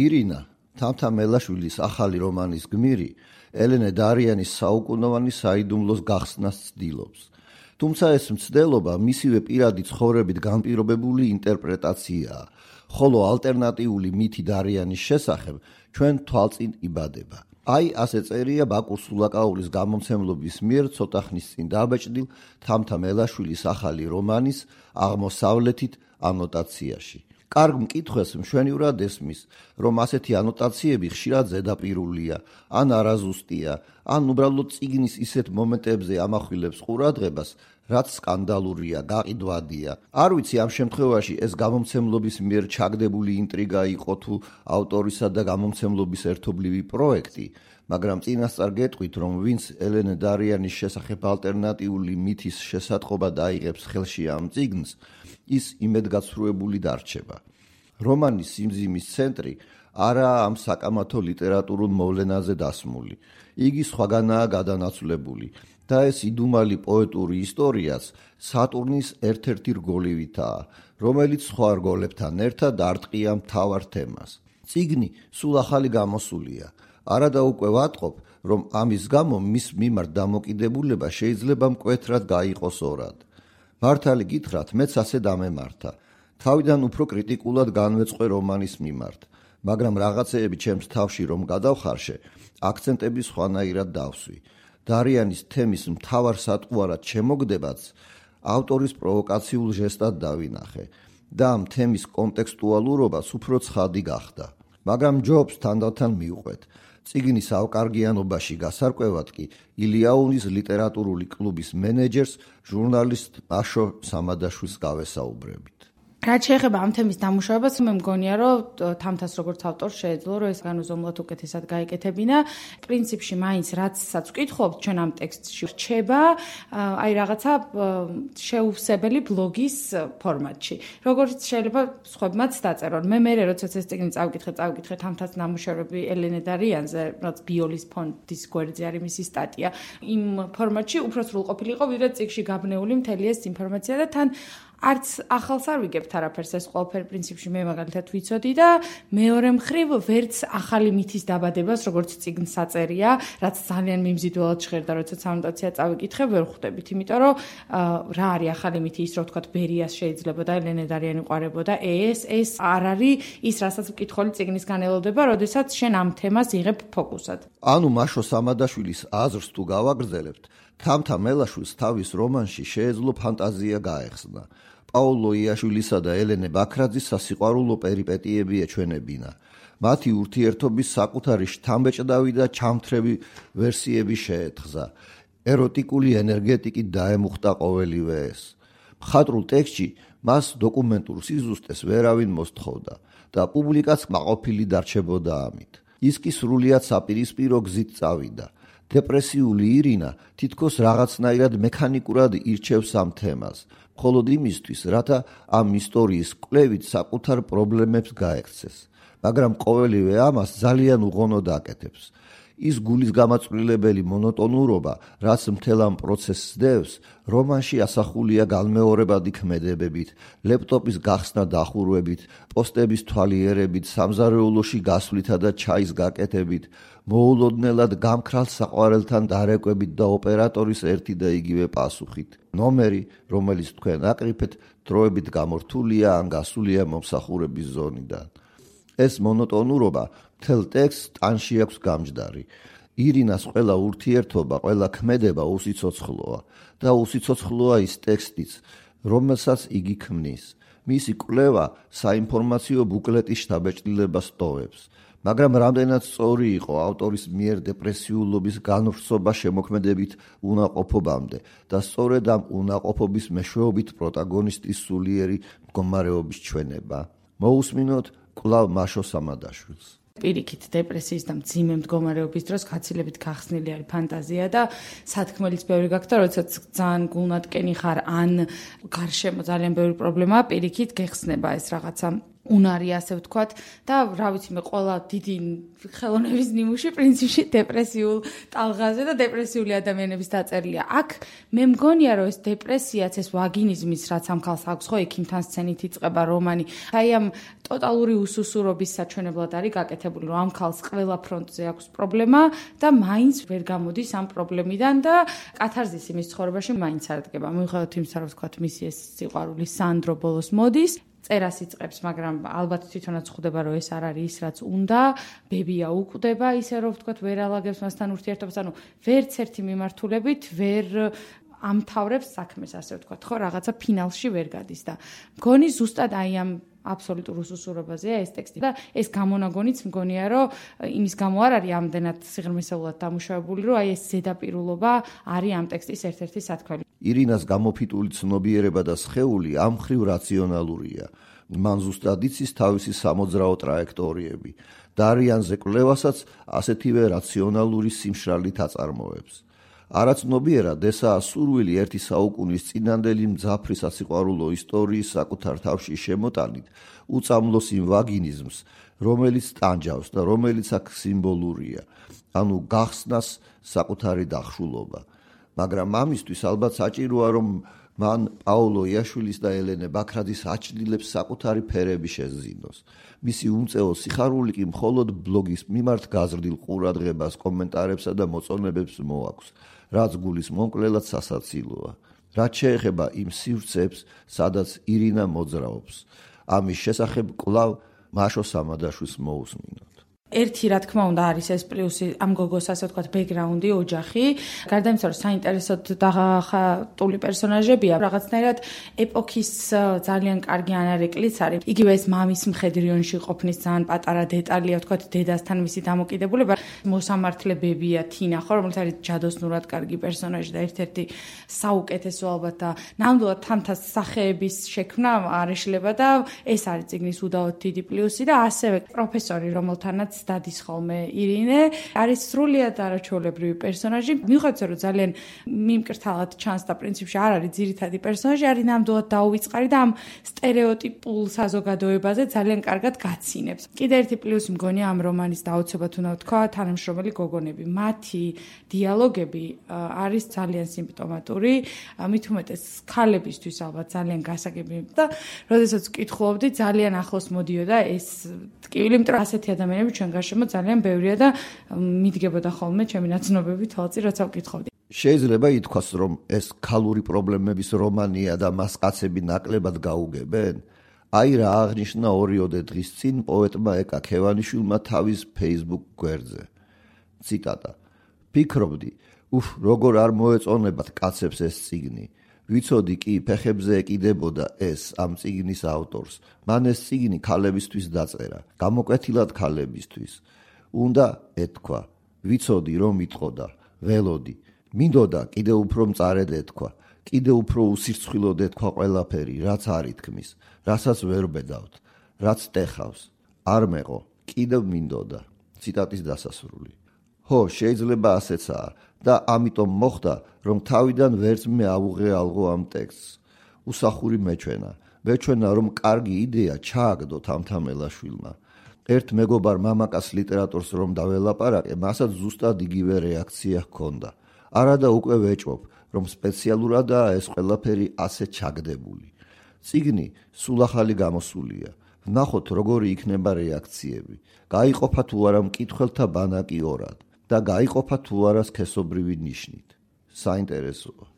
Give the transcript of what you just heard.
ირინა თამთამელაშვილის ახალი რომანის გმირი ელენე დარიანის საუკუნოვანი საიდუმლოს გახსნას ცდილობს. თუმცა ეს მცდელობა მისივე პირადი ცხოვრებით განპირობებული ინტერპრეტაციაა, ხოლო ალტერნატიული მითი დარიანის შესახებ ჩვენ თვალწინ იბადება. აი ასე წერია ბაკურ სულაკაულის გამომცემლობის მიერ ცოტა ხნის წინ დაბეჭდილ თამთამელაშვილის ახალი რომანის აღმოსავლეთით ანოტაციაში. კარგ მკითხვას მშვენივრად ესმის, რომ ასეთი ანოტაციები ხშირად ზედაპირულია, ან არაზუსტია, ან უბრალოდ წიგნის ისეთ მომენტებზე ამახვილებს ყურადღებას, რაც სკანდალურია, გაყიდვადია. არ ვიცი ამ შემთხვევაში ეს გამომცემლობის მიერ ჩაგდებული ინტრიგა იყო თუ ავტორისა და გამომცემლობის ერთობლივი პროექტი, მაგრამ წინასწარ გეტყვით, რომ ვინც ელენე დარიანის შესახებ ალტერნატიული მითის შესატყობა დაიღებს ხელში ამ წიგნს, ის იმედგაცრუებული დარჩება. რომანის სიმძიმის ცენტრი არაა ამ საკამათო ლიტერატურულ მოვლენაზე დასმული. იგი სხვაგანაა გადანაცვლებული და ეს იდუმალი პოეტური ისტორიაც სატურნის ერთ-ერთი რგოლივითაა, რომელიც სხვა რგოლებთან ერთად არტყია მთავარ თემას. წიგნი სულ ახალი გამოსულია. არადა უკვე ვატყობ, რომ ამის გამო მის მიმართ დამოკიდებულება შეიძლება მკვეთრად გაიყოს ორად. მართალი გითხრათ, მეც ასე დამემართა. თავიდან უფრო კრიტიკულად განვეწყვე რომანის მიმართ, მაგრამ რაღაცეები ჩემს თავში რომ გადავხარშე, აქცენტები სხვანაირად დავსვი. დარიანის თემის მთავარ სატყუარად შემოგდებაც ავტორის პროვოკაციულ ჟესტად დავინახე და ამ თემის კონტექსტუალურობას უფრო ცხადი გახდა. მაგრამ ჯობს თანდათან მივყვეთ. წიგნის ავკარგიანობაში გასარკვევად კი ილიაუნის ლიტერატურული კლუბის მენეჯერს ჟურნალისტ მაშო სამადაშვილს გავესაუბრებით. რაც შეეხება ამ თემის დამუშავებას, მე მგონია, რომ თამთას როგორც ავტორს შეეძლო, რომ ეს განუზომლად უკეთესად გაეკეთებინა. პრინციპში მაინც რაცაც ვკითხულობთ ჩვენ ამ ტექსტში რჩება, აი რაღაცა შეუვსებელი ბლოგის ფორმატში. როგორც შეიძლება სხვებმაც დაწერონ. მე როდესაც ეს წიგნი წავკითხე თამთას ნამუშევრები ელენე დარიანზე, რაც ბიოლის ფონდის გვერდზე არის მისი სტატია. იმ ფორმატში უფრო სრულყოფილი იყო, ვიდრე წიგნში გაბნეული მთელი ეს ინფორმაცია და თან არც ახალს არ ვიგებთ არაფერს, ეს ყველაფერი პრინციპში მე მაგალითად ვიცოდი და მეორე მხრივ ვერც ახალი მითის დაბადებას, როგორც წიგნს აწერია, რაც ძალიან მიმზიდველად ჟღერდა, როდესაც ანოტაცია წავიკითხე, ვერ ხვდებით, იმიტომ რომ რა არის ახალი მითი, ის რო ვთქვათ, ბერიას შეიძლებოდა, ელენე დარიანი ყარებოდა, ეს არ არის ის, რასაც მკითხული წიგნისგან ელოდება, როდესაც შენ ამ თემას იღებ ფოკუსად. ანუ მაშო სამადაშვილის აზრს თუ გავაგრძელებთ, თამთამელაშვილს თავის რომანში შეეძლო ფანტაზია გაეხსნა. პაულო იაშვილისა და ელენე ბაქრაძის სასიყვარულო პერიპეტიები ეჩვენებინა. მათი ურთიერთობის საკუთარი შთამბეჭდავი და ჩამთრევი ვერსიები შეეთხზა. ეროტიკული ენერგეტიკით დაემუხტა ყოველივე ეს. მხატვრულ ტექსტში მას დოკუმენტურ სიზუსტეს ვერავინ მოსთხოვდა და პუბლიკაც კმაყოფილი დარჩებოდა ამით. ის კი სრულიად საპირისპირო გზით წავიდა. დეპრესიული ირინა თითქოს რაღაცნაირად მექანიკურად ირჩევს ამ თემას, მხოლოდ იმისთვის, რათა ამ ისტორიის კვლევით საკუთარ პრობლემებს გაექცეს, მაგრამ ყოველივე ამას ძალიან უღონოდ აკეთებს. ის გულის გამაწვრილებელი მონოტონურობა, რაც მთელ ამ პროცესს დევს, რომანში ასახულია განმეორებადი ქმედებებით, ლეპტოპის გახსნა დახურვებით, პოსტების თვალიერებით, სამზარეულოში გასვლითა და ჩაის გაკეთებით, მოულოდნელად გამქრალ საყვარელთან დარეკვებით და ოპერატორის ერთი და იგივე პასუხით. ნომერი, რომელიც თქვენ აკრიფეთ, დროებით გამორთულია ან გასულია მომსახურების ზონიდან. ეს მონოტონურობა მთელ ტექსტს ტანში აქვს გამჯდარი. ირინას ყველა ურთიერთობა, ყველა ქმედება უსიცოცხლოა და უსიცოცხლოა ის ტექსტიც, რომელსაც იგი ქმნის. მისი კვლევა საინფორმაციო ბუკლეტის შთაბეჭდილებას ტოვებს. მაგრამ რამდენად სწორი იყო ავტორის მიერ დეპრესიულობის განვრცობა შემოქმედებით უნაყოფობამდე და სწორედ ამ უნაყოფობის მეშვეობით პროტაგონისტის სულიერი მდგომარეობის ჩვენება. მოусმინოთ კვლავ მაშო სამადაშვილს. პირიქით დეპრესიის და მძიმე მდგომარეობის დროს გაცილებით გახსნილი არის ფანტაზია და სათქმელიც ბევრი გაქვს და როდესაც ძალიან გულნატკენი ხარ ან გარშემო ძალიან ბევრი პრობლემაა, პირიქით გეხსნება ეს რაღაცა უნარი, ასე ვთქვათ, და რა ვიცი მე ყველა დიდი ხელოვნების ნიმუში პრინციპში დეპრესიულ ტალღაზე და დეპრესიული ადამიანების დაწერილია. აქ მე მგონია რომ ეს დეპრესიაც, ეს ვაგინიზმის რაც ამ ქალს აქვს, ხო, ექიმთან სცენით იწყება რომანი. აი ამ ტოტალური უსუსურობის საჩვენებლად არის გაკეთებული, რომ ამ ქალს ყველა ფრონტზე აქვს პრობლემა და მაინც ვერ გამოდის ამ პრობლემიდან და კათარზისი მის ცხოვრებაში მაინც არ დგება. მიუხედავად იმისა, რომ ვთქვათ, მისი ეს სიყვარული სანდრო ბოლოს მოდის, წერას იწყებს, მაგრამ ალბათ თვითონაც ხვდება, რომ ეს არ არის ის, რაც უნდა. ბებია უკვდება, ისე რომ ვთქვათ, ვერ ალაგებს მასთან ურთიერთობას, ანუ ვერც ერთი მიმართულებით ვერ ამთავრებს საქმეს, ასე ვთქვათ, ხო, რაღაცა ფინალში ვერ გადის და მგონი ზუსტად აი ამ აბსოლუტურ უსუსურობაზეა ეს ტექსტი და ეს გამონაგონიც მგონია, რომ იმის გამო არ არის ამდენად სიღრმისეულად დამუშავებული, რომ აი ეს ზედაპირულობა არის ამ ტექსტის ერთ-ერთი სათქმელი. ირინას გამოფიტული ცნობიერება და სხეული ამ მხრივ რაციონალურია. მან ზუსტად იცის თავისი სამოძრაო ტრაექტორიები. დარიანზე კვლევასაც ასეთივე რაციონალური სიმშრალით აწარმოებს. არაცნობიერად ესაა სურვილი ერთი საუკუნის წინანდელი მძაფრი სასიყვარულო ისტორიის საკუთარ თავში შემოტანით უწამლოს იმ ვაგინიზმს, რომელიც ტანჯავს და რომელიც აქ სიმბოლურია, ანუ გახსნას საკუთარი დახშულობა. მაგრამ ამისთვის ალბათ საჭიროა, რომ მან პაოლო იაშვილის და ელენე ბაქრაძის აჩრდილებს საკუთარი ფერები შეზინოს. მისი უმწეო სიხარული კი მხოლოდ ბლოგის მიმართ გაზრდილ ყურადღებას, კომენტარებსა და მოწონებებს მოაქვს, რაც გულის მომკვლელად სასაცილოა. რაც შეეხება იმ სივრცეებს, სადაც ირინა მოძრაობს, ამის შესახებ კვლავ მაშო სამადაშვილს მოусმინოთ. ერთი რა თქმა უნდა არის ეს პლუსი ამ გოგოს, ასე ვთქვათ, ბექგრაუნდი, ოჯახი. გარდა იმისა, რომ საინტერესოდ დახატული პერსონაჟებია, რაღაცნაირად ეპოქის ძალიან კარგი ანარეკლიც არის. იგივე ეს მამის მხედრიონში ყოფნის ძალიან პატარა დეტალია, ვთქვათ, დედასთან მისი დამოკიდებულება. მოსამართლე ბებია თინა, ხო, რომელიც არის ჯადოსნურად კარგი პერსონაჟი და ერთ-ერთი საუკეთესო ალბათ და ნამდვილად თამთას სახეების შექმნა არ ეშლება და ეს არის წიგნის უდავოდ დიდი პლუსი და ასევე პროფესორი, რომელთანაც დადის ხოლმე ირინე, არის სრულიად არაჩვეულებრივი პერსონაჟი. მიუხედავად რომ ძალიან მიმკრთალად ჩანს და პრინციპში არ არის ძირითადი პერსონაჟი, არის ნამდვილად დაუვიწყარი და ამ სტერეოტიპულ საზოგადოებაზე ძალიან კარგად გაცინებს. კიდე ერთი პლუსი მგონია ამ რომანის დაუცებად უნდა ვთქვა, თანამშრომელი გოგონები. მათი დიალოგები არის ძალიან სიმპტომატური, მით უმეტეს ქალებისთვის ალბათ ძალიან გასაგები და როდესაც ვკითხულობდი, ძალიან ახლოს მოდიოდა ეს ტკივილი, იმიტომ რომ ასეთი ადამიანები ჩვენ გარშემო ძალიან ბევრია და მიდგებოდა ხოლმე ჩემი ნაცნობები თვალწინ, როცა ვკითხავდი. შეიძლება ითქვას, რომ ეს ქალური პრობლემების რომანია და მას კაცები ნაკლებად გაუგებენ? აი რა აღნიშნა 2 დღის წინ პოეტმა ეკა ქევანიშვილმა თავის Facebook გვერდზე. ციტატა: "ფიქრობდი, როგორ არ მოეწონებათ კაცებს ეს წიგნი. ვიცოდი კი ფეხებზე ეკიდებოდა ეს ამ წიგნის ავტორს. მან ეს წიგნი ქალებისთვის დაწერა, გამოკვეთილად ქალებისთვის. უნდა ეთქვა, ვიცოდი რომ იტყოდა, ველოდი. მინდოდა კიდე უფრო მწარედ ეთქვა, კიდე უფრო უსირცხვილოდ ეთქვა ყველაფერი, რაც არ ითქმის, რასაც ვერ ბედავთ, რაც ტეხავს. არ მეყო, კიდევ მინდოდა." ციტატის დასასრული. ხო, შეიძლება ასეცაა და ამიტომ მოხდა, რომ თავიდან ვერც მე ავუღეალღო ამ ტექსტს. უსახური მეჩვენა, რომ კარგი იდეა ჩააგდო თამთამელაშვილმა. ერთ მეგობარ მამაკაც ლიტერატორს რომ დაველაპარაკე, მასაც ზუსტად იგივე რეაქცია ჰქონდა. არადა უკვე ვეჭვობ, რომ სპეციალურადაა ეს ყველაფერი ასე ჩაგდებული. წიგნი სულ ახალი გამოსულია. ვნახოთ როგორი იქნება რეაქციები. გაიყოფა თუ არა მკითხველთა ბანაკი ორად და გაიყოფა თუ არა სქესობრივი ნიშნით. საინტერესოა.